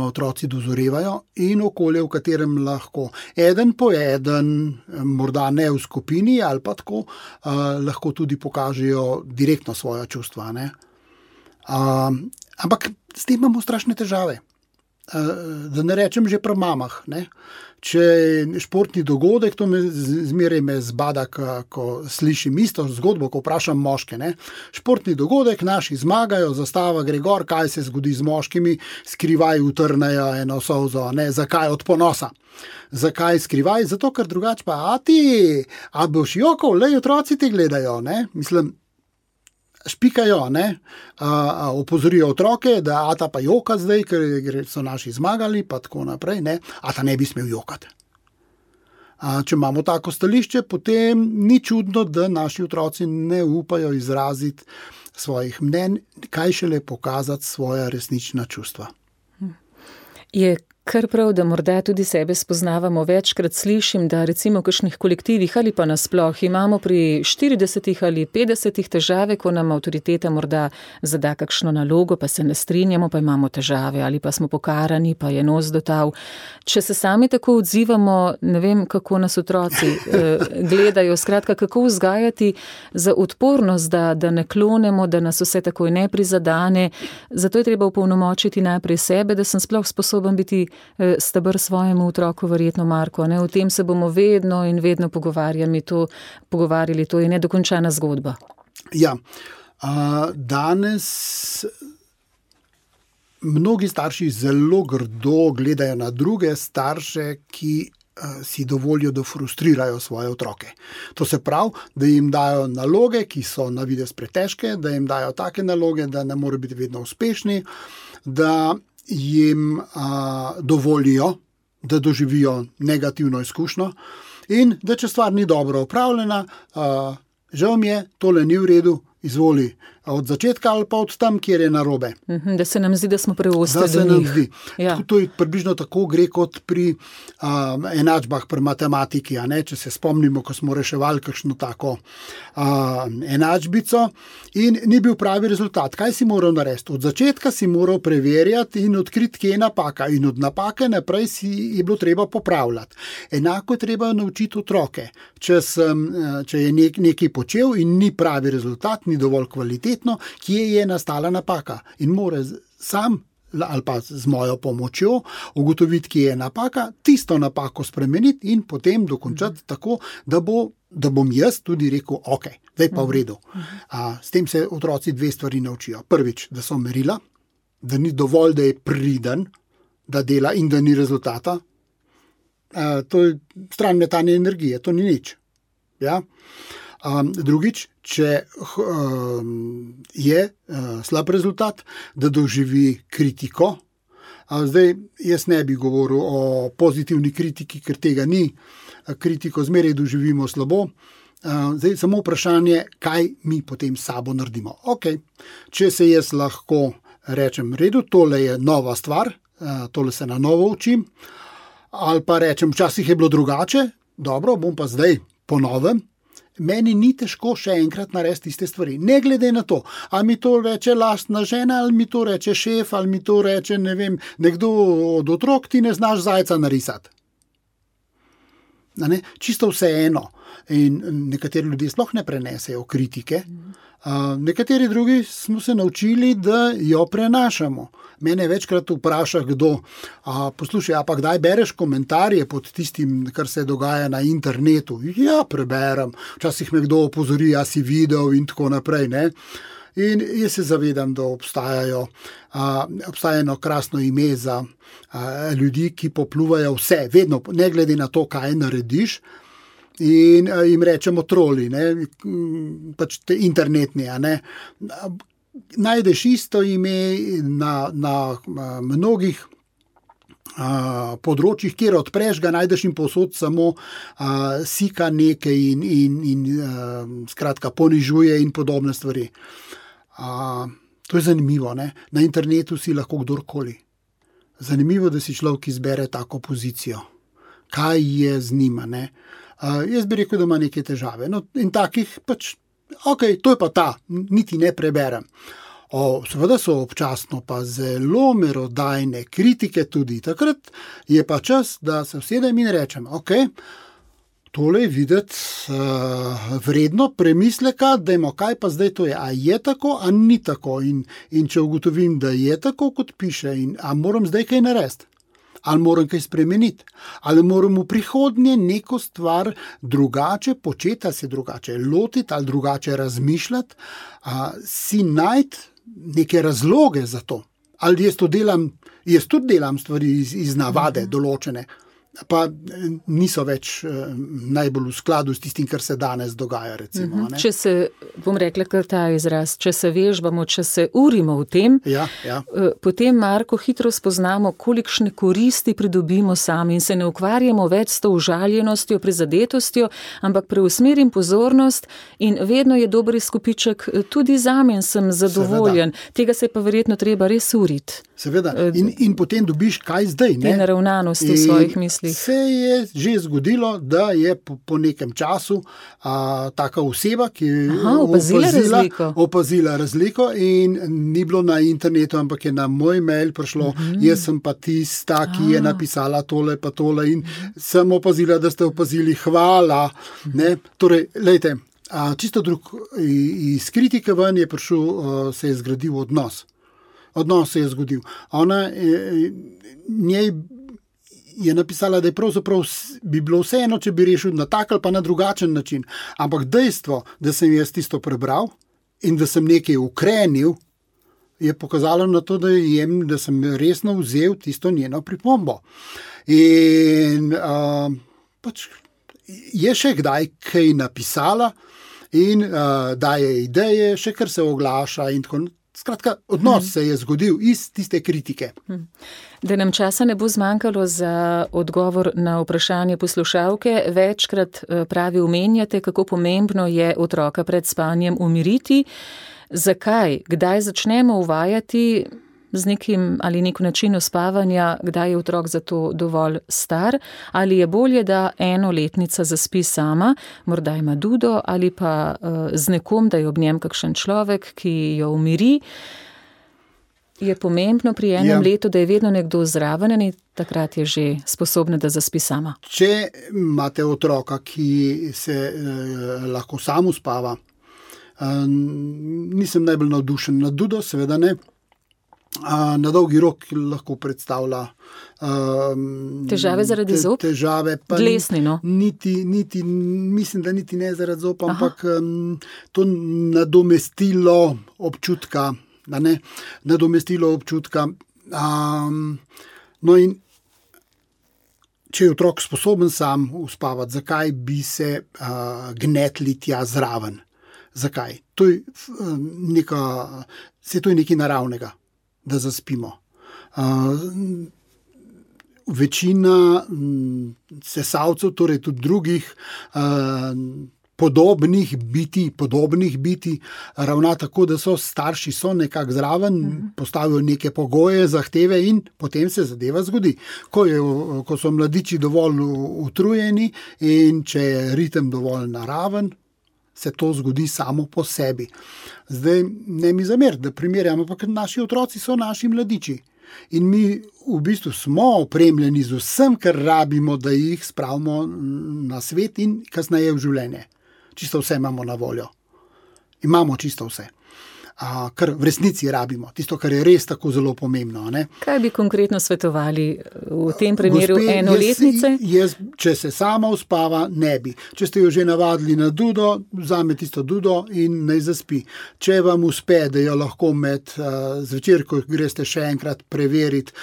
otroci dozorevajo in okolje, v katerem lahko eden po eden, morda ne v skupini ali pa tako, lahko tudi pokažejo direktno svoja čustva. Ampak s tem imamo strašne težave. Da ne rečem že pri mamah. Če športni dogodek, to zmeraj me zbada, ko slišim isto zgodbo, ko vprašam moške. Športni dogodek, naši zmagajo, zastava gre gor, kaj se zgodi z moškimi, skrivaj utrnejo eno solzo. Zakaj? Od ponosa. Zakaj skrivaj? Zato, ker drugače pa, a boš jokal, otroci te gledajo. Mislim, špikajo, opozorijo otroke, da ata pa joka zdaj, ker so naši zmagali, pa tako naprej, ata ne bi smel jokati. Če imamo tako stališče, potem ni čudno, da naši otroci ne upajo izraziti svojih mnenj, kaj šele pokazati svoja resnična čustva. Je kar prav, da morda tudi sebe spoznavamo. Večkrat slišim, da recimo v kakšnih kolektivih ali pa nasploh imamo pri 40 ali 50 težave, ko nam avtoriteta morda zada kakšno nalogo, pa se ne strinjamo, pa imamo težave ali pa smo pokarani, pa je nos dotav. Če se sami tako odzivamo, ne vem, kako nas otroci gledajo, skratka, kako vzgajati za odpornost, da ne klonemo, da nas vse takoj ne prizadane. Zato je treba opolnomočiti najprej sebe, da sem sploh sposoben biti steber svojemu otroku, verjetno Marko. O tem se bomo vedno in vedno pogovarjali, to je nedokončana zgodba. Ja, danes mnogi starši zelo grdo gledajo na druge starše, ki si dovolijo, da frustrirajo svoje otroke. To se pravi, da jim dajo naloge, ki so na videz pretežke, da jim dajo take naloge, da ne morejo biti vedno uspešni, da jim dovolijo, da doživijo negativno izkušnjo in da če stvar ni dobro opravljena, žal mi je, tole ni v redu, izvoli od začetka ali pa od tam, kjer je narobe. Da se nam zdi, da smo preostali. Da se nam zdi. Ja. To je približno tako gre kot pri enačbah pri matematiki. A ne? Če se spomnimo, ko smo reševali kakšno tako enačbico in ni bil pravi rezultat. Kaj si moral narediti? Od začetka si moral preverjati in odkriti, kje je napaka. In od napake naprej je bilo treba popravljati. Enako je treba naučiti otroke. Če je nekaj počel in ni pravi rezultat, ni dovolj kvalitetno, kje je nastala napaka. In mora sam ali pa z mojo pomočjo ugotoviti, kje je napaka, tisto napako spremeniti in potem dokončati tako, da bom jaz tudi rekel, ok, zdaj pa v redu. S tem se otroci dve stvari naučijo. Prvič, da so merila, da ni dovolj, da je priden, da dela in da ni rezultata. To je stran metanje energije, to ni nič. Ja? Drugič, če je slab rezultat, da doživi kritiko. Zdaj, jaz ne bi govoril o pozitivni kritiki, ker tega ni. Kritiko zmeraj doživimo slabo. Zdaj, samo vprašanje, kaj mi potem s sabo naredimo. Ok, če se jaz lahko rečem, redu, tole je nova stvar, tole se na novo učim, ali pa rečem, včasih je bilo drugače, dobro, bom pa zdaj po novem. Meni ni težko še enkrat narediti iste stvari. Ne glede na to, ali mi to reče lastna žena, ali mi to reče šef, ali mi to reče, ne vem, nekdo od otrok, ti ne znaš zajca narisati. Čisto vseeno. In nekateri ljudje sploh ne prenesejo kritike. Nekateri drugi smo se naučili, da jo prenašamo. Mene večkrat vpraša kdo, poslušaj, pa kdaj bereš komentarje pod tistim, kar se dogaja na internetu? Ja, preberem. Včasih me kdo opozori, a si videl in tako naprej. Ne? In jaz se zavedam, da obstaja eno krasno ime za ljudi, ki popluvajo vse, vedno, ne glede na to, kaj narediš. In jim rečemo troli, pač te internetni. Najdeš isto ime na mnogih področjih, kjer odpreš ga, najdeš in povsod samo sika nekaj in skratka ponižuje in podobne stvari. To je zanimivo, ne? Na internetu si lahko kdorkoli. Zanimivo, da si človek izbere tako pozicijo. Kaj je z njima, ne? Jaz bi rekel, da ima neke težave. No, in takih pač, ok, to je pa ta, niti ne preberem. Seveda so občasno pa zelo merodajne kritike tudi. Takrat je pa čas, da se usedem in rečem, ok, tole je videti vredno premisleka, dajmo, kaj pa zdaj to je. A je tako, a ni tako? In če ugotovim, da je tako, kot piše, a moram zdaj kaj narediti? Ali moram kaj spremeniti, ali moram v prihodnje neko stvar drugače početi, ali se drugače lotiti, ali drugače razmišljati, si najti neke razloge za to. Ali jaz tudi delam stvari iz navade določene, pa niso več najbolj v skladu s tistim, kar se danes dogaja. Recimo, Če se, bom rekla kar ta izraz, če se vežbamo, če se urimo v tem, potem, Marko, hitro spoznamo, kolikšne koristi pridobimo sami in se ne ukvarjamo več s to užaljenostjo, prizadetostjo, ampak preusmerim pozornost in vedno je dober izkupiček tudi zame in sem zadovoljen. Seveda. Tega se pa verjetno treba res uriti. Seveda. In potem dobiš kaj zdaj. Te naravnanosti v svojih mislih. Se je že zgodilo, da je po nekem času taka oseba, ki je opazila razliko in ni bilo na internetu, ampak je na moj mail prišlo, jaz sem pa tista, ki je napisala tole pa tole in sem opazila, da ste opazili, hvala. Ne? Torej, lejte, čisto drug, iz kritike ven je prišel, se je zgradil odnos. Odnos se je zgodil. Ona njej je napisala, da je pravzaprav bi bilo vseeno, če bi rešil na tak ali pa na drugačen način. Ampak dejstvo, da sem jaz tisto prebral in da sem nekaj ukrenil, je pokazalo na to, da sem resno vzel tisto njeno pripombo. In pač je še kdaj kaj napisala in daje ideje, še kar se oglaša in tako. Skratka, odnos se je zgodil iz tiste kritike. Da nam časa ne bo zmanjkalo za odgovor na vprašanje poslušalke, večkrat pravi omenjate, kako pomembno je otroka pred spanjem umiriti. Zakaj? Kdaj začnemo uvajati z nekim ali neko načino spavanja, kdaj je otrok za to dovolj star, ali je bolje, da enoletnica zaspi sama, morda ima dudo, ali pa z nekom, da je ob njem kakšen človek, ki jo umiri. Je pomembno pri enem letu, da je vedno nekdo zraven in takrat je že sposobna, da zaspi sama. Če imate otroka, ki se lahko sam uspava, nisem najbolj navdušen nad dudo, seveda ne. Na dolgi rok lahko predstavlja težave zaradi zob? Težave, pa dlesni, no? Mislim, da niti ne zaradi zob, ampak to nadomestilo občutka, nadomestilo občutka. No in če je otrok sposoben sam uspavati, zakaj bi se gnetli tja zraven? Zakaj? To je nekaj naravnega, da zaspimo. Večina sesalcev, torej tudi drugih podobnih biti, ravna tako, da starši so nekako zraven, postavijo neke pogoje, zahteve in potem se zadeva zgodi. Ko so mladiči dovolj utrujeni in če je ritem dovolj naraven, se to zgodi samo po sebi. Zdaj, ne mi zameriti, da primerjamo, ampak naši otroci so naši mladiči. In mi v bistvu smo opremljeni z vsem, kar rabimo, da jih spravimo na svet in kasneje v življenje. Čisto vse imamo na voljo. Imamo čisto vse. Kar v resnici rabimo. Tisto, kar je res tako zelo pomembno. Ne? Kaj bi konkretno svetovali v tem primeru enoletnice? Če se sama uspava, ne bi. Če ste jo že navadili na dudo, vzame tisto dudo in naj zaspi. Če vam uspe, da jo lahko med zvečer, ko greste še enkrat preveriti,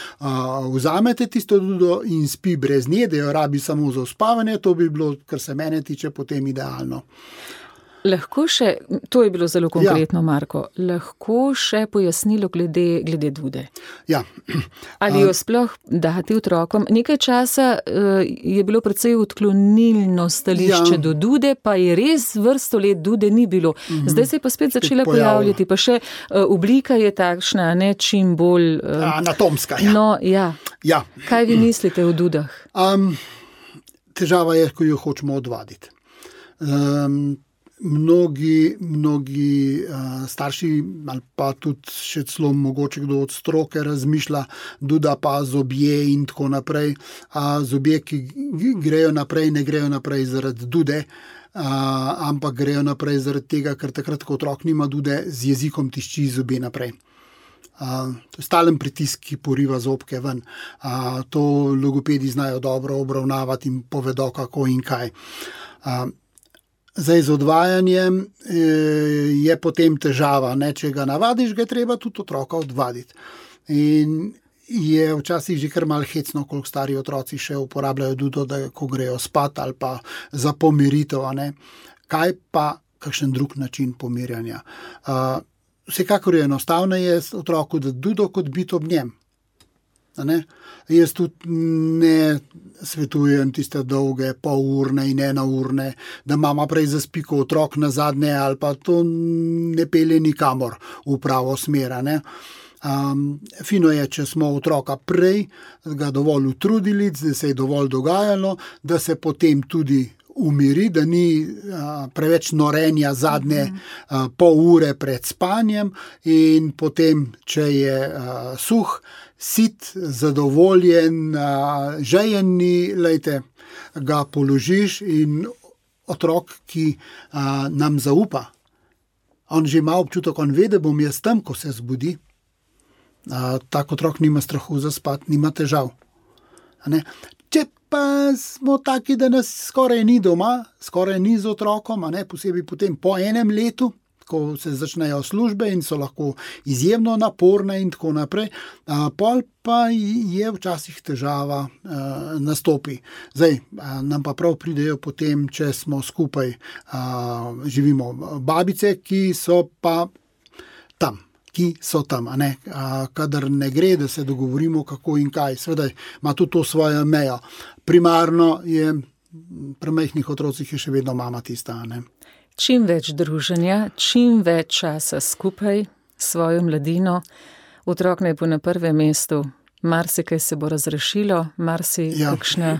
vzamete tisto dudo in spi brez nje, da jo rabi samo za uspavanje, to bi bilo, kar se mene tiče, potem idealno. Lahko še, to je bilo zelo konkretno, Marko, lahko še pojasnilo glede dude. Ja. Ali jo sploh dati otrokom? Nekaj časa je bilo precej odklonilno stališče do dude, pa je res vrsto let dude ni bilo. Zdaj se je pa spet začela pojavljati, pa še oblika je takšna, ne čim bolj anatomska. No, ja. Ja. Kaj vi mislite o dudah? Težava je, ko jo hočemo odvaditi. Mnogi starši ali pa tudi še celo mogoče kdo od stroke razmišlja, duda pa zobje in tako naprej. Zobje, ki grejo naprej, ne grejo naprej zaradi dude, ampak grejo naprej zaradi tega, ker takrat, ko otrok nima dude, z jezikom tišči zobje naprej. To je stalen pritisk, ki poriva zobke ven. To logopedi znajo dobro obravnavati in povedo, kako in kaj. Zdaj, z odvajanjem je potem težava, ne? Če ga navadiš, ga je treba tudi otroka odvaditi. In je včasih že kar malo hecno, koliko stari otroci še uporabljajo dudo, da ko grejo spat ali pa za pomiritev. Ne? Kaj pa kakšen drug način pomirjanja? Vsekakor je enostavneje otroku dati dudo, kot biti ob njem. Ne? Jaz tudi ne svetujem tiste dolge polurne in enourne, da mama prej zaspi kot otrok na zadnje, ali pa to ne pelje nikamor v pravo smer. Fino je, če smo otroka prej ga dovolj utrudili, da se je dovolj dogajalo, da se potem tudi umiri, da ni preveč norenja zadnje pol ure pred spanjem in potem, če je suh, sit, zadovoljen, žejeni, ga položiš in otrok, ki nam zaupa, on že ima občutek, on ve, da bom jaz tam, ko se zbudi. Tak otrok nima strahu za spat, nima težav. Če pa smo taki, da nas skoraj ni doma, skoraj ni z otrokom, posebej potem po enem letu, ko se začnejo službe in so lahko izjemno naporne in tako naprej. Pol pa je včasih težava nastopi. Zdaj, nam pa prav pridejo potem, če smo skupaj, živimo babice, ki so pa tam. Kadar ne gre, da se dogovorimo kako in kaj. Seveda ima tudi to svojo mejo. Primarno je pri majhnih otrocih je še vedno mama tista. Ne? Čim več druženja, čim več časa skupaj s svojo mladino, otrok naj bo na prvem mestu. Marsikaj se bo razrešilo, kakšna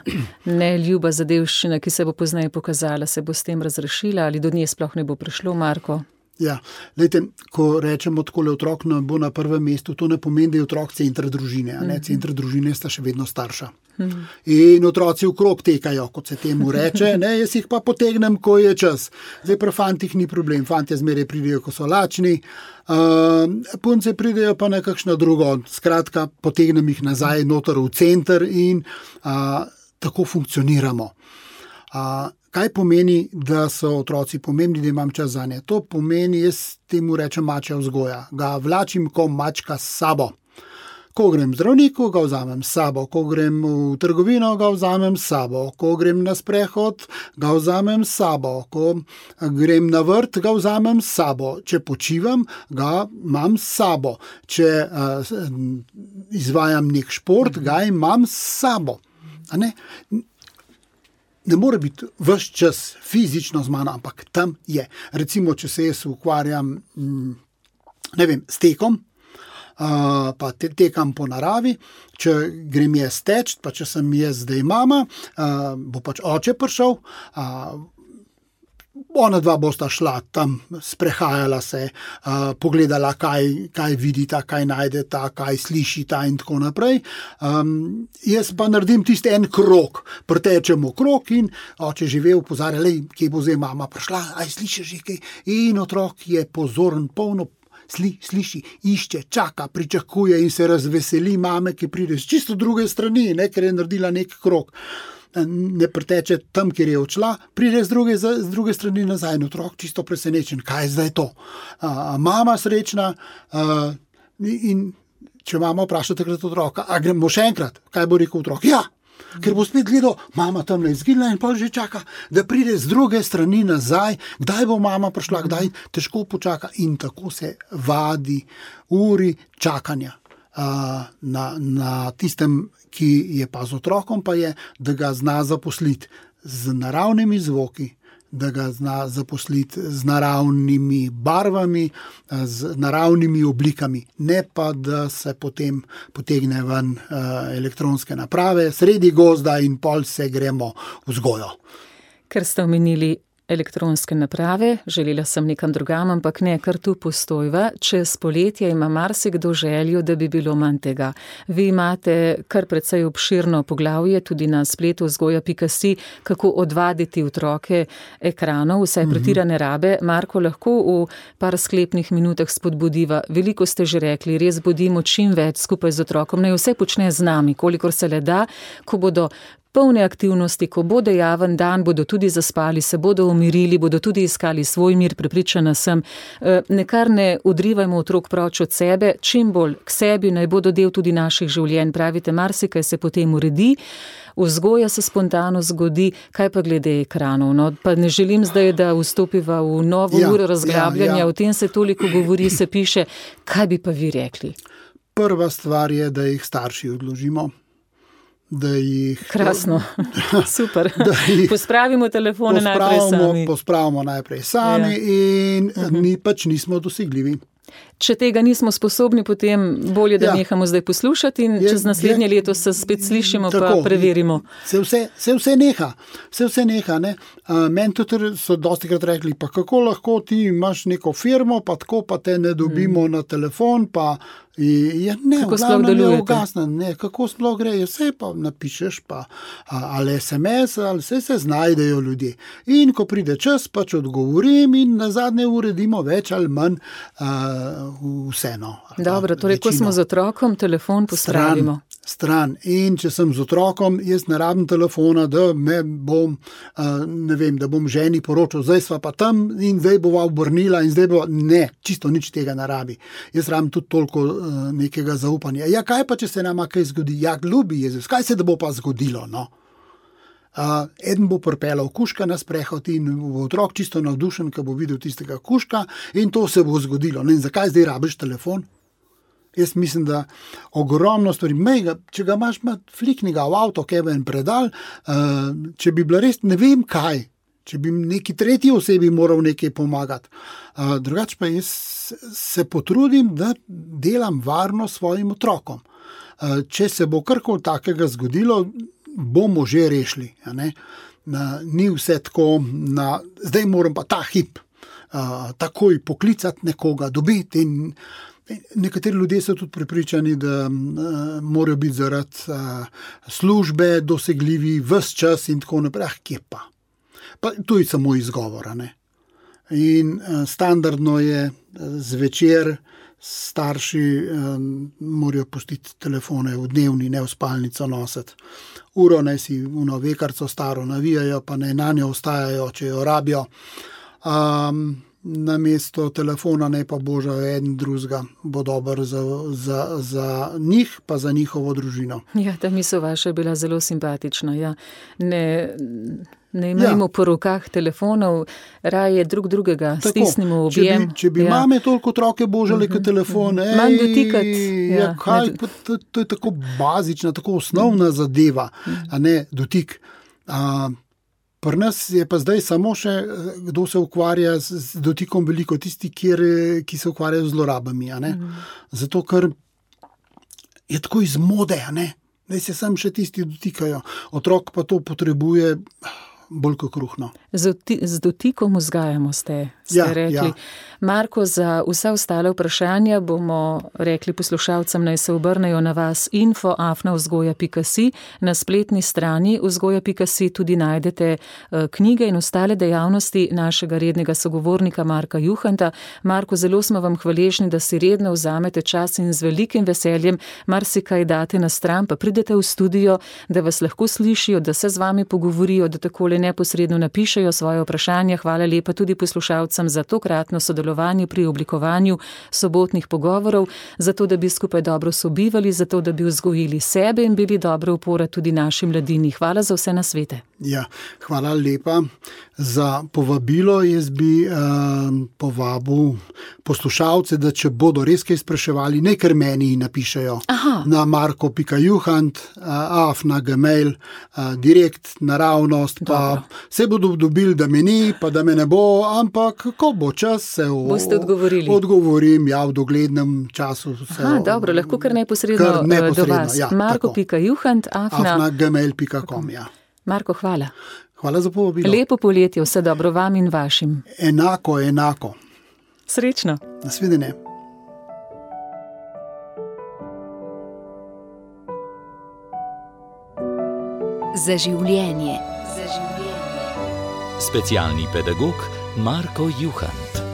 neljuba zadevščina, ki se bo pozneje pokazala, se bo s tem razrešila ali do nje sploh ne bo prišlo, Marko? Ja, lejte, ko rečemo takole otrok bo na prvem mestu, to ne pomeni, da je otrok center družine, Center družine sta še vedno starša. In otroci okrog tekajo, kot se temu reče, jaz jih pa potegnem, ko je čas. Zdaj pri fantih ni problem, fantje zmeraj pridejo, ko so lačni, punce pridejo pa na kakšno drugo, skratka, potegnem jih nazaj noter v center in tako funkcioniramo. Kaj pomeni, da so otroci pomembni, da imam čas zanje? To pomeni, jaz temu rečem mačja vzgoja. Ga vlačim ko mačka s sabo. Ko grem v zdravniku, ga vzamem s sabo. Ko grem v trgovino, ga vzamem s sabo. Ko grem na sprehod, ga vzamem s sabo. Ko grem na vrt, ga vzamem s sabo. Če počivam, ga imam s sabo. Če izvajam nek šport, ga imam s sabo. Ne more biti ves čas fizično z mano, ampak tam je. Recimo, če se jaz ukvarjam, s tekom, pa tekam po naravi, če grem jaz teč, pa če sem jaz zdaj mama, bo pač oče prišel, ona dva bosta šla tam, sprehajala se, pogledala, kaj vidita, kaj najdeta, kaj slišita in tako naprej. Jaz pa naredim tisti en krog, pretečemo krog in oče že ve, opozarja, kje bo zdaj mama prišla, aj slišiš že kaj? In otrok je pozoren, polno sliši, išče, čaka, pričakuje in se razveseli mame, ki pride z čisto druge strani, ker je naredila nek krog. Ne preteče tam, kjer je odšla, pride z druge strani nazaj in otrok čisto presenečen, kaj je zdaj to. Mama srečna in če mama vpraša takrat otroka, a gremo še enkrat, kaj bo rekel otrok? Ja, ker bo spet gledal, mama tamle izginila in pa že čaka, da pride z druge strani nazaj, kdaj bo mama prišla, kdaj težko počaka in tako se vadi uri čakanja. Na tistem, ki je pa z otrokom, pa je, da ga zna zaposliti z naravnimi zvoki, da ga zna zaposliti z naravnimi barvami, z naravnimi oblikami, ne pa, da se potem potegne ven elektronske naprave, sredi gozda in pol se gremo v vzgojo. Ker ste omenili elektronske naprave, želela sem nekam drugam, ampak ne, kar tu postojva. Čez poletje ima marsikdo željo, da bi bilo manj tega. Vi imate kar precej obširno poglavje, tudi na spletu vzgoja.si, kako odvaditi otroke ekranov, vsaj pretirane rabe. Marko, lahko v par sklepnih minutah spodbudiva. Veliko ste že rekli, res bodimo čim več skupaj z otrokom, naj vse počne z nami, kolikor se le da, ko bodo polne aktivnosti, ko bo dejaven dan, bodo tudi zaspali, se bodo umirili, bodo tudi iskali svoj mir, prepričana sem. Nekar ne odrivajmo otrok proč od sebe, čim bolj k sebi, naj bodo del tudi naših življenj. Pravite, marsikaj se potem uredi, vzgoja se spontano zgodi, kaj pa glede ekranov? No, pa ne želim zdaj, da vstopiva v novo uro razglabljanja, o tem se toliko govori, se piše. Kaj bi pa vi rekli? Prva stvar je, da jih starši odložimo. Krasno, super. Pospravimo telefone najprej sami. Pospravimo najprej sami in mi pač nismo dosegljivi. Če tega nismo sposobni, potem bolje, da nehamo zdaj poslušati in čez naslednje leto se spet slišimo, pa preverimo. Se vse neha. Ne? Meni tudi so dostikrat rekli, pa kako lahko ti imaš neko firmo, pa tako pa te ne dobimo na telefon, pa kako sploh delujete? Kako sploh gre, vse pa napišeš, pa ali SMS, ali vse se znajdejo ljudje. In ko pride čas, pač odgovorim in nazadnje uredimo več ali manj vseeno. Dobro, torej, ko smo z otrokom, telefon pospravimo. stran. In če sem z otrokom, jaz ne rabim telefona, da me bom, da bom ženi poročal, zdaj sva pa tam in zdaj bova obrnila in zdaj bova, ne, čisto nič tega ne rabi. Jaz rabim tudi toliko nekega zaupanja. Ja, kaj pa, če se nama kaj zgodi? Ja, ljubi Jezus, kaj se da bo pa zgodilo, no? Eden bo pripeljal kužka na sprehod in bo otrok čisto navdušen, ko bo videl tistega kužka in to se bo zgodilo. In zakaj zdaj rabiš telefon? Jaz mislim, da ogromno stvari, če ga imaš fliknega v avto, keben predal, če bi bila res ne vem kaj, če bi neki tretji osebi moral nekaj pomagati. Drugače pa jaz se potrudim, da delam varno svojim otrokom. Če se bo karkoli takega zgodilo, bomo že rešili. Ni vse tako, zdaj moram pa ta hip takoj poklicati nekoga, dobiti in nekateri ljudje so tudi prepričani, da morajo biti zaradi službe dosegljivi ves čas in tako naprej. Kje pa? Pa to je samo izgovor. In standardno je zvečer starši morajo pustiti telefone v dnevni, ne v spalnico nositi. Uro naj si vekarco staro navijajo, pa naj na njo ostajajo, če jo rabijo. Namesto telefona naj pa božajo eden drugega, bo dober za njih, pa za njihovo družino. Ja, ta misel vaša je bila zelo simpatična. Ja. Ne imejmo po rokah telefonov, raje drugega stisnimo v objem. Če bi mame toliko otroke božale kot telefon, manj dotikati. To je tako bazična, tako osnovna zadeva, a ne dotik. Pri nas je pa zdaj samo še, kdo se ukvarja z dotikom veliko, tisti, ki se ukvarjajo z zlorabami. Zato, ker je tako iz mode, da se sam še tisti dotikajo. Otrok pa to potrebuje bolj kot kruhno. Z dotikom vzgajamo ste rekli. Ja. Marko, za vsa ostale vprašanja bomo rekli poslušalcem, naj se obrnejo na vas info@vzgoja.si. Na spletni strani vzgoja.si tudi najdete knjige in ostale dejavnosti našega rednega sogovornika Marka Juhanta. Marko, zelo smo vam hvaležni, da si redno vzamete čas in z velikim veseljem marsikaj date na stran, pa pridete v studio, da vas lahko slišijo, da se z vami pogovorijo, da takole neposredno napišejo svoje vprašanja. Hvala lepa tudi poslušalcem za tokratno sodelovanje pri oblikovanju sobotnih pogovorov, zato da bi skupaj dobro sobivali, zato da bi vzgojili sebe in bili dobra opora tudi naši mladini. Hvala za vse nasvete. Ja, hvala lepa za povabilo. Jaz bi povabil poslušalce, da če bodo res kaj spraševali, naj kar meni napišejo. Na marko.juhant@gmail, direkt, naravnost, pa se bodo dobili, da me ni, pa da me ne bo, ampak ko bo čas, se boste odgovorili. Odgovorim, v doglednem času. Dobro, lahko kar neposredno do vas. Ja, marko.juhant@gmail.com. Ja. Marko, hvala. Hvala za povabilo. Lepo poletje, vse dobro vam in vašim. Enako. Srečno. Nasvidenje. Za življenje. Specialni pedagog Marko Juhant.